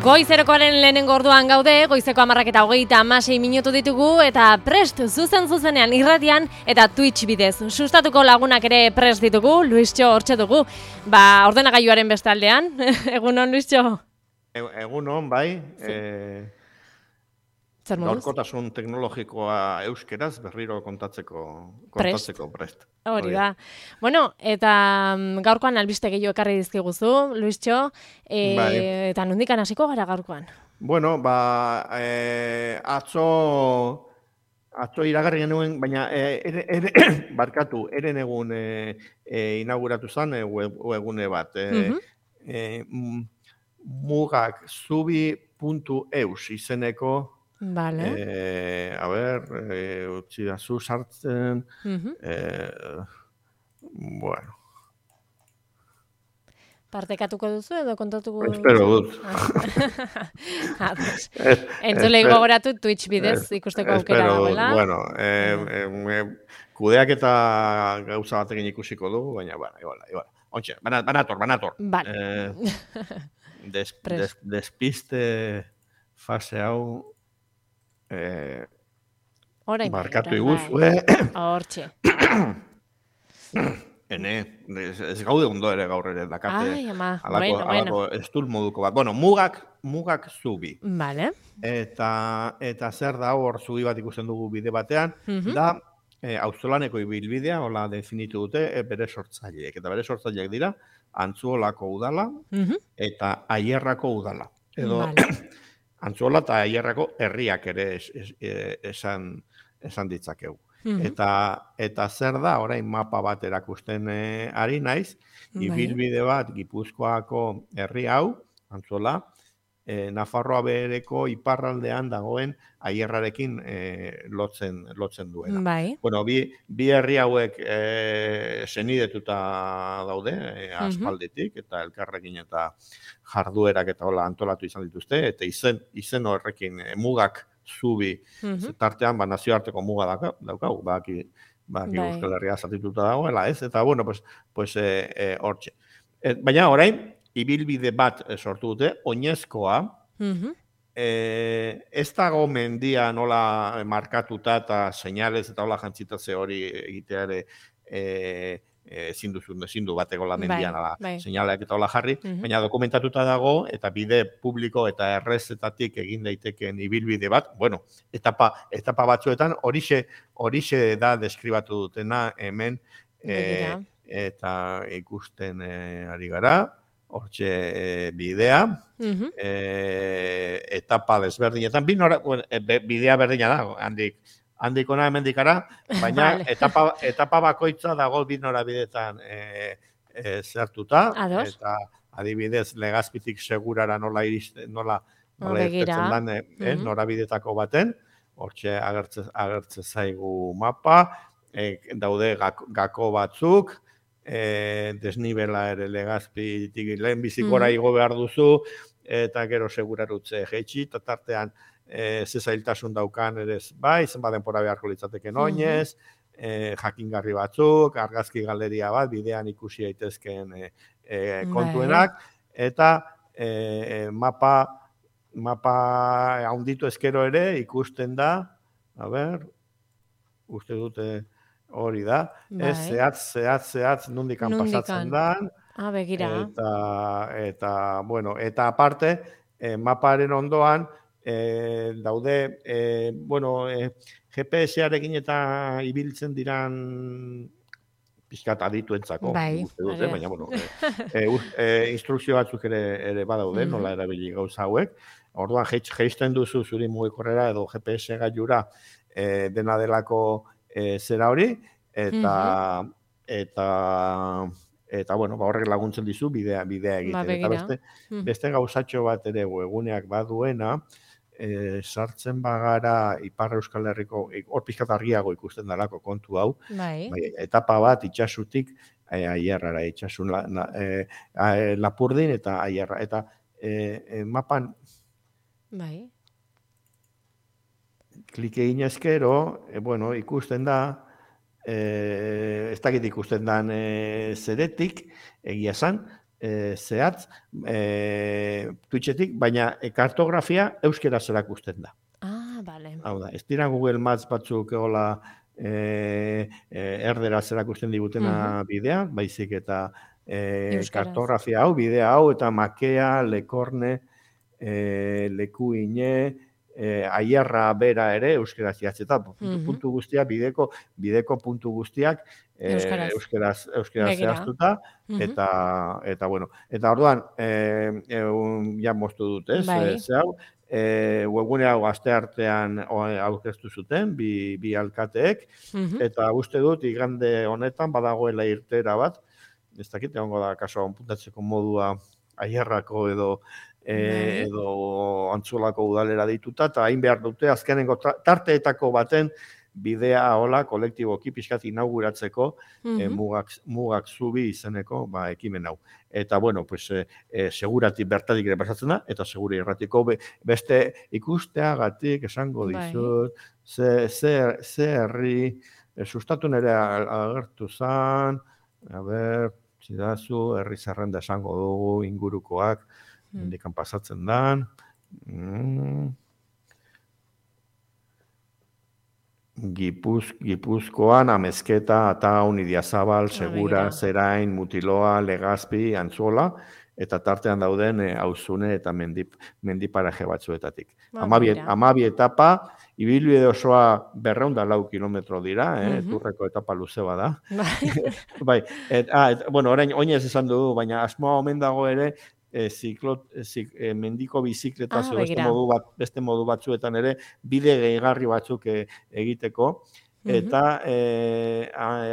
Goizerokoaren lehenengo orduan gaude, goizeko 10:26 minutu ditugu eta prest zuzenean irratian eta Twitch bidez. Sustatuko lagunak ere prest ditugu, Luistxo hortxe dugu. Ordenagailuaren beste aldean, egunon Luistxo? Egunon, bai. Gaurkotasun teknologikoa euskeraz berriro kontatzeko prest. Hori da. Bueno, eta gaurkoan albiste gehiago ekarri dizkiguzu, Luistxo, eta nondikan hasiko gara gaurkoan? Bueno, atzo iragarri genuen, baina barkatu, eren egun inauguratu zen webgune bat. Mugakzubi.eus izeneko. Vale. Utzi da zu sartzen. Bueno. Partekatuko duzu edo kontatuko duzu? Espero dut. Entzulei gogoratu Twitch bidez ikusteko aukera dagoela. Bueno, kudeak eta gauza batekin ikusiko dugu, baina, igual. Ontxe, banator. Vale. Despiste fase hau barkatu iguzue. Hortxe. Ez gaude ondo ere gaur ere dakate. Ai, ama, alako estul moduko bat. Bueno, mugak zubi. Vale. Eta zer da hor zubi bat ikusten dugu bide batean, da auzolaneko ibilbidea, hola definitu dute, bere sortzaileek. Eta bere sortzaileek dira, Antzuolako udala eta Aierrako udala. Edo Antzuola eta Aierrako herriak ere esan ditzakegu. Eta zer da, orain mapa bat erakusten ari naiz, ibilbide bat Gipuzkoako herri hau, Antzuola, Nafarroa bereko iparraldean dagoen Aierrarekin lotzen duena. Bueno, bi herri hauek senidetuta daude, aspalditik, eta elkarrekin eta jarduerak eta hola antolatu izan dituzte, eta izen horrekin mugak zubi tartean, nazioarteko muga daukagu, baki Euskal Herria zatituta dagoela, ez? Eta, bueno, pues hortxe. Baina, orain, ibilbide bat sortu dute, oinezkoa, ez dago mendia nola markatuta eta seinalez eta hola jantzitatze hori egitea ere zindu bateko la mendian seinaleak eta hola jarri, baina dokumentatuta dago eta bide publiko eta errezetatik egin daitekeen ibilbide bat, bueno, etapa batzuetan horixe da deskribatu dutena hemen eta ikusten ari gara. Hortxe bidea, etapa desberdinetan, bidea berdina da, handikona hemendikara, baina etapa bakoitza dago bi norabidetan zertuta, eta adibidez Legazpitik Segurara nola irtetzen den norabidetako baten, hortxe agertze zaigu mapa, daude gako batzuk, desnibela ere Legazpitik lehen bizikora igo behar duzu, eta gero segurarutze jeitsi, eta tartean ze zailtasun daukan ere zenbat denbora beharko litzateken oinez, jakingarri batzuk, argazki galeria bat, bidean ikusi daitezkeen kontuenak, eta mapa handitu ezkero ere ikusten da, uste dute hori da, zehatz nondikan pasatzen da, eta aparte, maparen ondoan, daude, GPS-arekin eta ibiltzen diran pixkat adituentzako, baina, instrukzio batzuk ere badaude, nola erabili gauza hauek, orduan jeisten duzu zuri mugikorrera edo GPS gailura dena delako zera hori, eta horrek laguntzen dizu bidea egiten. Eta beste gauzatxo bat ere webguneak baduena, sartzen bagara Ipar Euskal Herriko, hor pixkat argiago ikusten dalako kontu hau, etapa bat itxasutik Aierrara, itxasun Lapurdin eta Aierra. Eta mapan klik egin ezkero, ikusten da, ez dakit ikusten dan zeretik, egia esan, zehatz Twitchetik, baina kartografia euskeraz erakusten da. Bale. Hau da, ez dira Google Maps batzuk hola erderaz erakusten digutena bidea, baizik eta kartografia hau, bidea hau, eta makea, lekorne, lekuine, aierra bera ere euskeraz idatzita, puntu guztiak, bideko puntu guztiak euskeraz zehaztuta, eta bueno, eta orduan, ja moztu dut, ez, ze hau, webgune hau asteartean aurkeztu zuten, bi alkateek, eta uste dut, igande honetan, badagoela irtera bat, ez dakit, egongo da, kaso, puntatzeko modua aierrako edo Antzolako udalera dituta, eta hain behar dute, azkenengo tarteetako baten bidea hola kolektiboki pixkat inauguratzeko mugak zubi izeneko ekimen hau. Eta, bueno, pues, seguratik bertatik ere pasatzen da, eta seguri erratiko beste ikusteagatik esango dizut, ze herri, sustatu nere agertu zan, zidazu, herri zerrenda esango dugu, ingurukoak, indikan pasatzen dan. Gipuzkoan, Amezketa, Ataun, Idiazabal, Segura, Zerain, Mutiloa, Legazpi, Antzola, eta tartean dauden Auzune eta mendiparaje batzuetatik. 12 etapa, ibilbide osoa 204 kilometro dira, Turreko etapa luze bada. Bai, bueno, orain oinez esan dugu, baina asmoa omen dago ere, mendiko bizikletaz beste modu batzuetan ere bide gehigarri batzuk egiteko, eta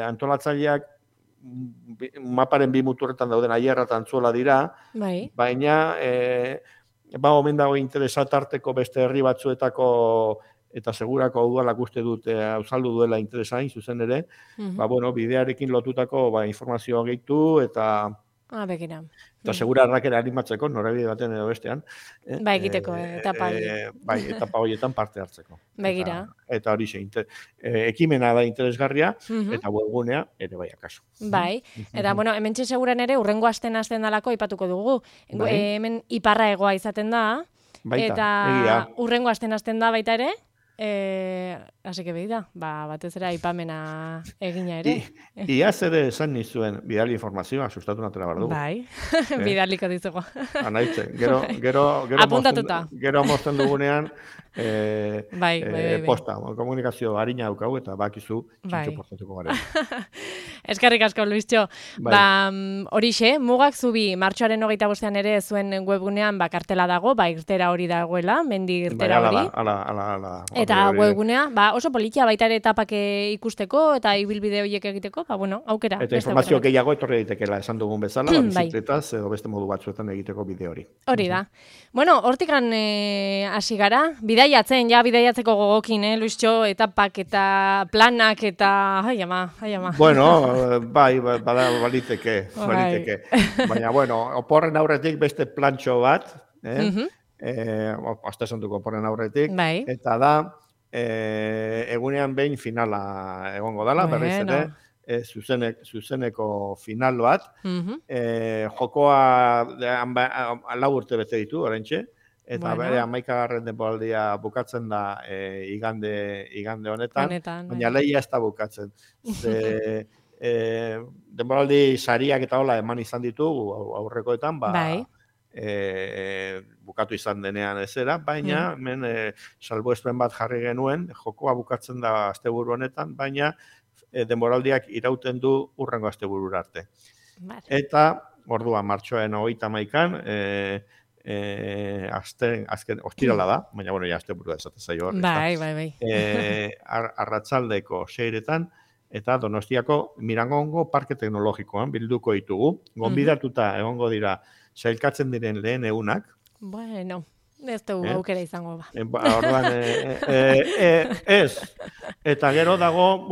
antolatzaileak maparen 2 muturretan dauden aierra eta Antzola dira, baina omen dago interesat arteko beste herri batzuetako eta segurako udalak uste dut azaldu duela interesain zuzen ere, bidearekin lotutako informazioa gehitu eta eta segura arrakera animatzeko, norabide baten edo bestean. Egiteko, etapa etapa horietan parte hartzeko. Begira. Eta hori ekimena da interesgarria, eta webgunea ere bai akaso. Bai, eta bueno, hemen seguran ere, urrengo asten dalako ipatuko dugu. Hemen iparra egoa izaten da, eta urrengo asten da baita ere, así que beida, batez ere aipamena egina ere. Iaz ere esan nizuen bidali informazioa, sustatu natela bardugu. Bai, bidaliko dizugu. Anaitzen, gero mozten dugunean posta, komunikazio harina daukau eta bakizu txintxo postatuko garen. Eskerrik asko, Luistxo. Horixe, mugak zubi, martxoaren 25ean ere zuen webgunean kartela dago, irtera hori dagoela, mendi irtera hori. Eta webgunea, oso politia baita ere etapak ikusteko eta ibilbide horiek egiteko, aukera. Eta informazio gehiago etorri daitekeela esan dugun bezala, bizikletaz edo beste modu batzuetan egiteko bide hori. Hori da. Bueno, hortikan hasi gara, bidaiatzeko gogokin, Luistxo, etapak eta planak eta... Ai ama. Bueno, baliteke. Baina, oporren aurretik beste plantxo bat, hasta esan duko oporren aurretik, eta da, egunean behin finala egongo dela, berriz ere, zuzeneko final bat, jokoa 4 urte bete ditu, oraintxe, eta bere 11. denboraldia bukatzen da igande honetan, baina lehia ez da bukatzen. Denboraldi sariak eta hola eman izan ditugu aurrekoetan, bukatu izan denean ezera, baina hemen salbuespen bat jarri genuen, jokoa bukatzen da asteburu honetan, baina denboraldiak irauten du hurrengo asteburura arte. Eta, orduan, martxoaren 31an, azken ostirala da, baina asteburua esaten zaio hor. Bai. Arratsaldeko 6etan, eta Donostiako Mirangongo Parke Teknologikoan bilduko ditugu. Gonbidatuta egongo dira sailkatzen diren lehen egunak. Bueno, ez dugu aukera izango ba. Orduan, ez. Eta gero dago,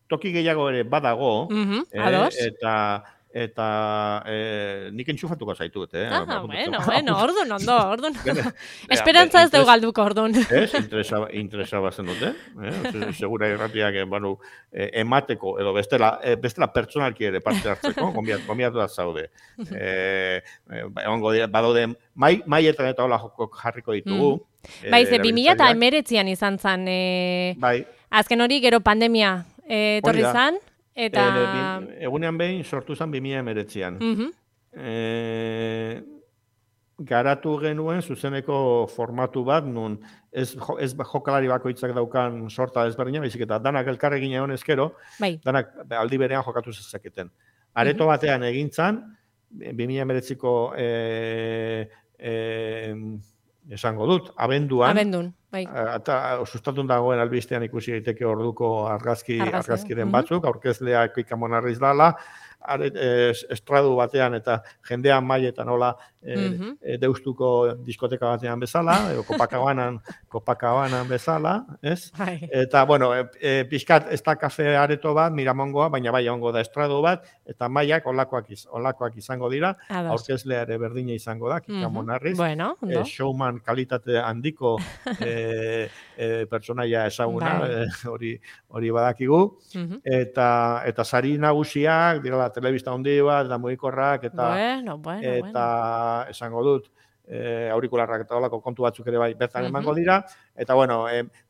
toki gehiago ere badago, eta nik entxufatuko zaitut, Bueno, ordun ondo, ordun. Esperantza ez dugu galduko, ordun. Ez, interesa bazen dute, segura irratiak, emateko, edo bestela pertsonalki ere parte hartzeko, gombiatu da zaude. Badaude, maietan eta hola jarriko ditugu. Bai, ze 2019an izan zen, azken hori gero pandemia etorri zan, eta... Egunean behin sortu zen 2019an. Garatu genuen zuzeneko formatu bat, nun ez jokalari bakoitzak daukan sorta ezberdina, baizik eta danak elkarregin egon ezkero, danak aldi berean jokatu zezaketen. Areto batean egintzan, 2019ko esango dut, abenduan, bai. Eta sustatun dagoen albistean ikusi daiteke orduko argazkiren batzuk, aurkezleak ikamonarriz dala, estradu batean eta jendean mailetan nola deustuko diskoteka batean bezala, edo Copacabana bezala, ez? Eta, pixkat ez da kafe areto bat, Miramongoa, baina bai ongo da estradu bat, eta mailak olakoak izango dira, aurkezlea ere berdina izango da, ikamonarriz, showman kalitate handiko pertsonaia ezaguna, hori badakigu, eta sari nagusiak, dirala telebista handi bat, eta mugikorrak, eta esango dut, aurikularrak eta olako kontu batzuk ere bai bertan emango dira, eta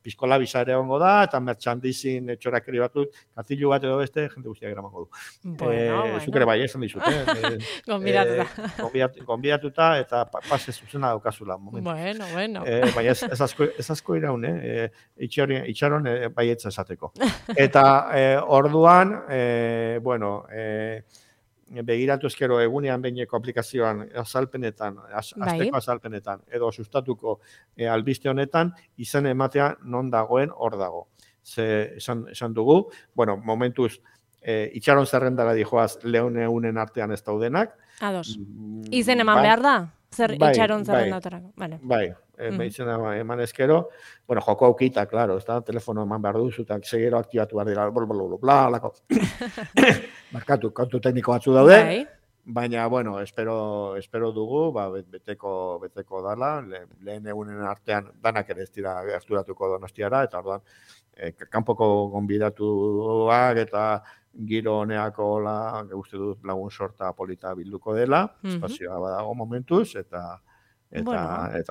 pizkola bisa ere ongo da, eta merchandising txorakeri batut, katilu bat edo beste, jende guztiak eramango du. Zuk ere bai, esan dizut, Gonbidatuta, eta pase zuzena daukazula momentu. Baina ez asko iraun, itxaron baietza esateko. Eta orduan, begiratu ezkero egunean behineko aplikazioan azalpenetan, azteko azalpenetan, edo sustatuko albiste honetan, izen ematea non dagoen hor dago. Ze esan dugu, momentuz, itxaron zerrendara dijoaz leunen artean ez daudenak. Ados. Izen eman behar da? Zer itxaron zerrendatarako? Bai, izen eman ezkero, joko aukita, klaro, ez da, telefono eman behar duzu, eta segero aktibatu behar dira, alako. Markatu, kontu tekniko batzu daude, baina, espero dugu, beteko dala, lehen egunen artean danak ere ez dira gerturatuko Donostiara, eta orduan, kanpoko gonbidatuak eta giro honeako uste dut lagun sorta polita bilduko dela, espazioa badago momentuz, eta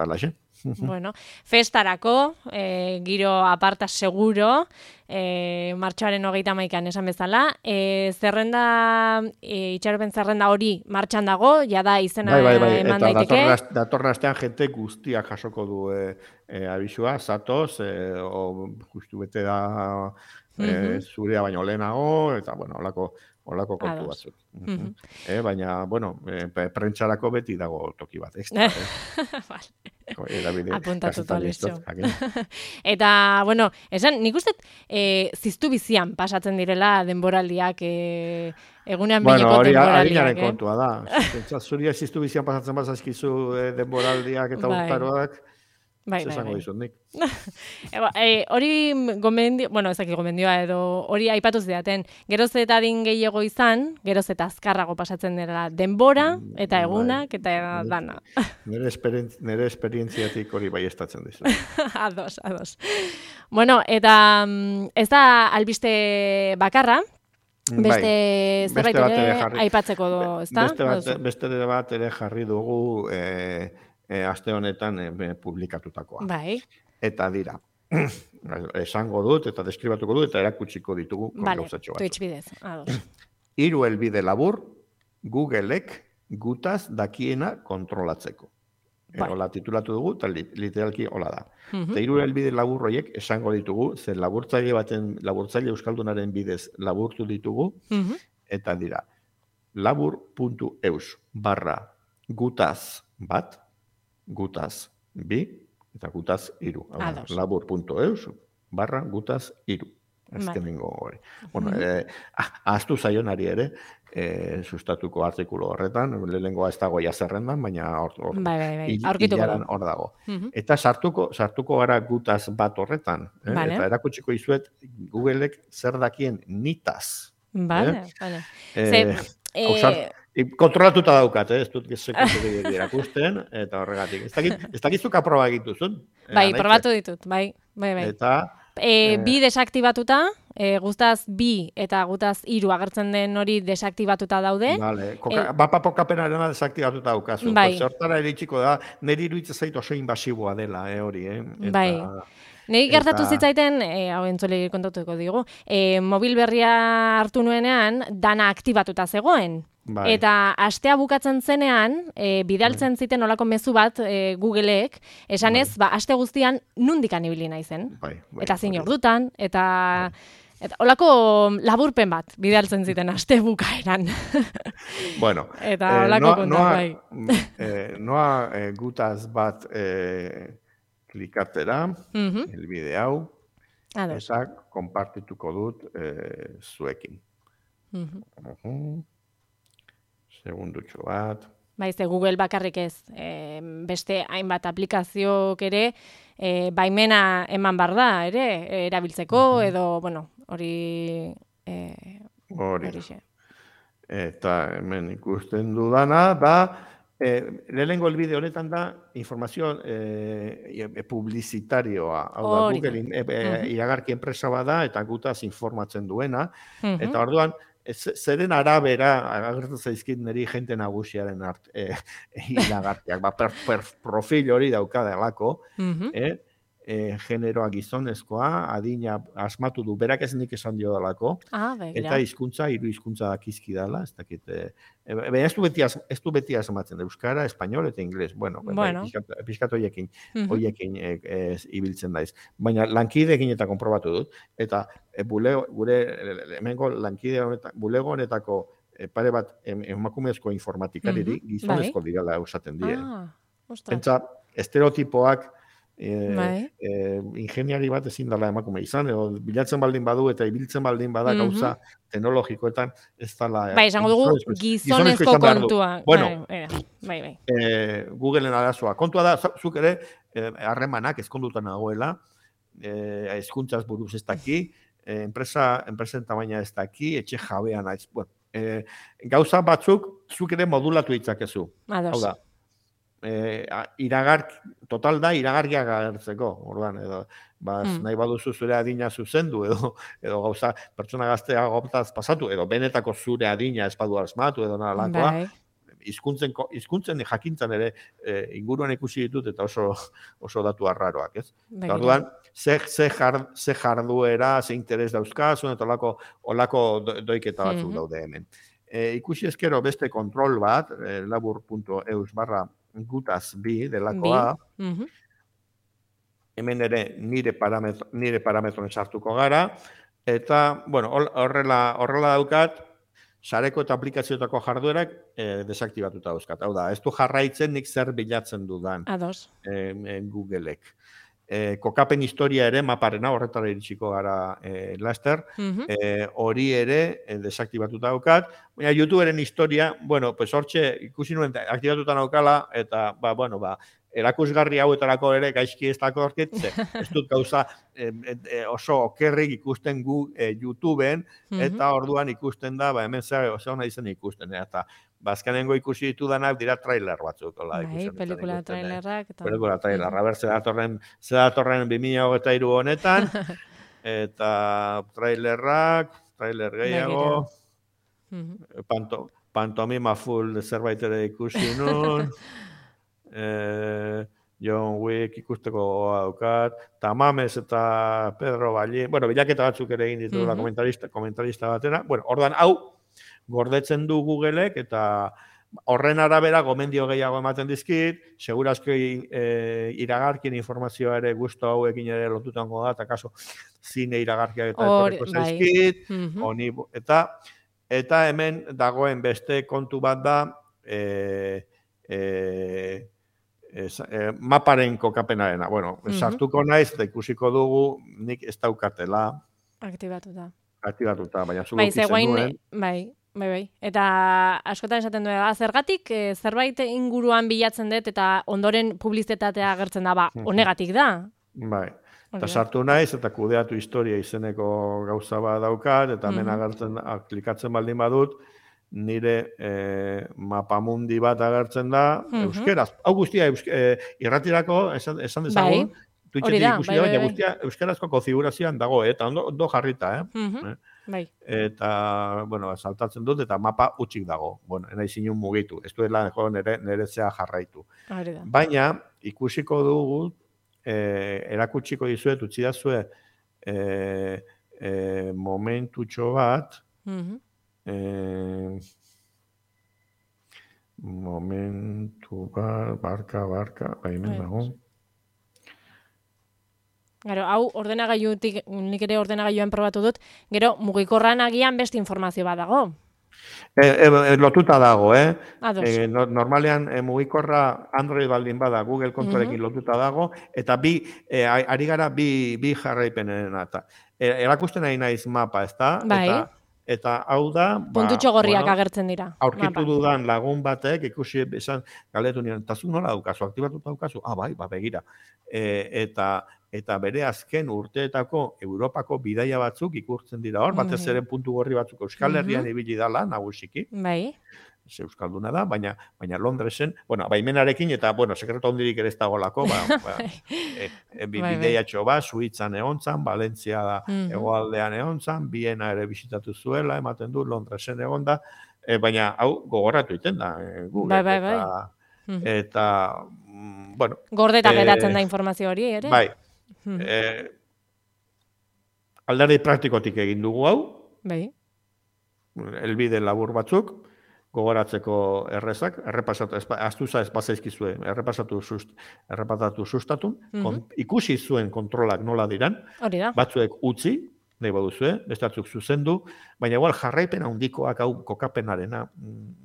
laxe. Festarako, giro aparta seguro, martxoaren 31an esan bezala, itxaropen zerrenda hori martxan dago, jada izena eman daiteke. Eta datorren astean jente guztiak jasoko du abisua, zatoz, justu bete da zurea baino lehenago, eta holako kontu batzuk. Baina, prentxarako beti dago toki bat, ekstra. Apuntatuta listo. Eta, esan, nik uste ziztu bizian pasatzen direla denboraldiak egunean behineko denboraldiak. Hori kontua da. Zuria ziztu bizian pasatzen bazazkizu denboraldiak eta urtaroak, zesango dizut nik. Hori gomendioa edo hori aipatu zidaten, geroz eta adin gehiago izan, geroz eta azkarrago pasatzen dela denbora eta egunak eta dana. Nere esperientziatik hori bai estatzen dizu. Ados. Eta ez da albiste bakarra, beste zerbait ere aipatzeko ezta? Beste bat ere jarri dugu aste honetan publikatutakoa. Bai. Eta dira, esango dut, eta deskribatuko dut, eta erakutsiko ditugu gauzatxo bat. Twitch bidez, ados. 3 helbide labur, Googleek gutaz dakiena kontrolatzeko. Hola titulatu dugu, eta literalki hola da. Eta 3 helbide labur horiek esango ditugu, zer laburtzaile euskaldunaren bidez laburtu ditugu, eta dira, labur.eus/gutaz bat, gutaz bi, eta gutaz iru. Labur.eus/gutaz iru. Azkenengo hori. Ahaztu zaionari ere, sustatuko artikulu horretan, lehenengoa ez dago zerrendan, baina hor dago. Eta sartuko gara gutaz bat horretan, eta erakutsiko izuet Googleek zer dakien nitaz. Kontrolatuta daukat, ez dut sekundu gehiago irakusten, eta horregatik. Ez dakizuk aproba egituzun. Bai, probatu ditut, bai. Eta... Bi desaktibatuta, guztaz bi eta gutaz 3 agertzen den hori desaktibatuta daude. Vale, mapa kokapenarena desaktibatuta daukazu. Bai. Hortara iritsiko da, niri iruditzen zait oso invasiboa dela, hori, Bai. Nei gertatu zitzaiten, hau entzule kontatuko digu, mobil berria hartu nuenean, dana aktibatuta zegoen. Bai. Eta astea bukatzen zenean, bidaltzen ziten olako mezu bat Googleek, esanez, aste guztian nundikan ibili naizen. Bai. Eta zein ordutan, eta olako laburpen bat bidaltzen ziten aste bukaeran. Bueno, eta olako kontak, bai. Noa gutaz bat klikatzera, helbide hau, eta konpartituko dut zuekin. Segundutxo bat. Baize, Google bakarrik ez, beste hainbat aplikazioak ere, baimena eman bar da, ere, erabiltzeko, edo, bueno, hori... Hori. Eta hemen ikusten dudana, da, lehenengo elbide honetan da, informazio publizitarioa. Hau da, Google iragarki enpresa bada, eta gutaz informatzen duena, eta orduan, zeren arabera, agertu zaizkit niri jente nagusiaren iragartiak, profil hori daukadelako, generoa gizonezkoa, adina asmatu du, berak ez nik esan dio dalako, eta hizkuntza 3 hizkuntza dakizki dala, ez dakit, baina ez du beti asmatzen, euskara, espainol eta ingles, bueno. Pixkat hoiekin ibiltzen daiz. Baina lankideekin eta konprobatu dut, eta gure hemengo lankide honetan, bulego honetako pare bat emakumezko informatikariri, gizonezko direla usaten die. Pentsa, estereotipoak ingeniari bat ezin dela emakume izan, edo bilatzen baldin badu eta ibiltzen baldin bada gauza teknologikoetan ez dela... Bai, esango dugu gizonezko kontua. Bueno, Googleen arazoa. Kontua da, zuk ere, harremanak ezkondutan nagoela, hezkuntzaz buruz ez daki, enpresen tamaina ez daki, etxe jabean naiz. Gauza batzuk, zuk ere modulatu ditzakezu. Hau da. Total da iragarkiak agertzeko, orduan, edo nahi baduzu zure adina zuzendu, edo gauza pertsona gaztea goptaz pasatu, edo benetako zure adina espadu asmatu, edo nalakoa, hizkuntzen jakintzan ere inguruan ikusi ditut, eta oso datu arraroak, ez? Orduan, ze jarduera, ze interes dauzkazun, eta olako doiketa batzuk daude hemen. Ikusi ezkero beste kontrol bat, labur.eus/gutaz bi delakoa, hemen ere nire parametroen sartuko gara, eta, bueno, horrela daukat, sareko eta aplikazioetako jarduerak desaktibatuta dauzkat. Hau da, ez du jarraitzen nik zer bilatzen dudan Googleek. Kokapen historia ere maparena, horretara iritsiko gara laster, hori ere desaktibatuta daukat, baina YouTuberen historia, bueno, pues hortxe ikusi nuen aktibatuta daukala, eta, erakusgarri hauetarako ere gaizki ez dako orkitze, ez dut gauza oso okerrik ikusten gu YouTubeen, eta orduan ikusten da, hemen zer hona izen ikusten, eta bazkenengo ikusi ditudanak dira trailer batzuk. Pelikula trailerrak. Pelikula trailerra, ber, zedatorren 2023 honetan, eta trailer gehiago, pantomima full zerbait ere ikusi nun, John Wick ikusteko daukat, Tamames eta Pedro Ballín, bueno, bilaketa batzuk ere egin ditugula komentarista batera, bueno, ordan hau gordetzen du Googleek, eta horren arabera gomendio gehiago ematen dizkit, segurazko iragarkien informazioa ere guztu hauekin ere lotutango da, eta kaso zine iragarkiak eta etorreko zaizkit, eta hemen dagoen beste kontu bat da, maparen kokapenarena. Bueno, sartuko naiz, eta ikusiko dugu, nik ez daukatela. Aktibatuta, baina zu lokitzen duen. Bai. Eta askotan esaten duen, zergatik zerbait inguruan bilatzen dut, eta ondoren publizitatea agertzen da, honegatik da. Bai. Eta sartu naiz, eta kudeatu historia izeneko gauza bat daukat, eta hemen agertzen, klikatzen baldin badut, nire mapamundi bat agertzen da, euskeraz. Hau guztia, irratirako, esan dezagun, Twitchetik ikusi da, baina guztia euskarazko konfigurazioan dago, eta ondo jarrita, Bai. Eta, bueno, saltatzen dut, eta mapa utxik dago. Bueno, nahi zinun mugitu. Ez duela nire zea jarraitu. Baina, ikusiko dugu, erakutsiko dizuet, utzi dazue, momentutxo bat, momentu bat, barka, baimen dago. Gero, hau ordenagailutik, nik ere ordenagailuan probatu dut, gero mugikorran agian beste informazio bat dago. Lotuta dago, normalean mugikorra Android baldin bada, Google kontorekin lotuta dago, eta ari gara bi jarraipenen eta. Erakusten nahi naiz mapa, ezta? Bai. Eta hau da... Puntutxo gorriak agertzen dira. Aurkitu dudan lagun batek, ikusi esan, galetu niren, eta zu nola daukazu, aktibatuta daukazu? Bai, begira. Eta bere azken urteetako Europako bidaia batzuk ikurtzen dira hor, batez ere puntu gorri batzuk Euskal Herrian ibili dala, nagusiki. Bai. Euskalduna da, baina Londresen, baimenarekin eta, sekreto hondirik ere ez dagolako, bideiatxo bat, Suitzan egontzan, Valentzia da hegoaldean egontzan, Viena ere bisitatu zuela, ematen du, Londresen egonda, baina hau gogoratu iten da, Google. Bai. Eta, bueno... Gordeta geratzen da informazio hori, ere? Bai. Alderdi praktikotik egin dugu hau. Bai. Elbide labur batzuk, gogoratzeko errezak, astuza ez bazaizkizue, errepasatu sustatun, ikusi zuen kontrolak nola diran, batzuek utzi, nahi baduzue, beste batzuk zuzendu, baina igual jarraipen handikoak hau kokapenarena,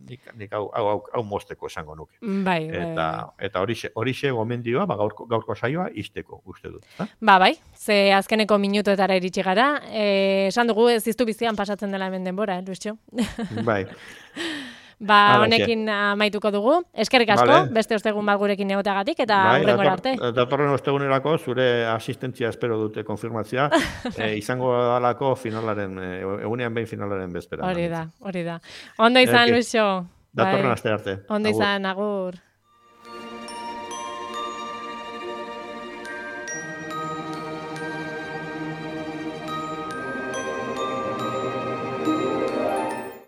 nik hau mozteko esango nuke. Bai. Eta horixe gomendioa, gaurko saioa izteko, uste dut. Bai, ze azkeneko minutuetara iritsi gara, esan dugu ez iztu bizian pasatzen dela hemen denbora, Luistxo? Bai. Honekin amaituko dugu. Eskerrik asko, beste ostegun bat gurekin egoteagatik, eta hurrengora arte. Datorren ostegunerako zure asistentzia espero dute konfirmatzea, izango dalako finalaren, egunean behin finalaren bezpera. Hori da. Ondo izan, Luixo. Datorren aste arte. Ondo izan, agur.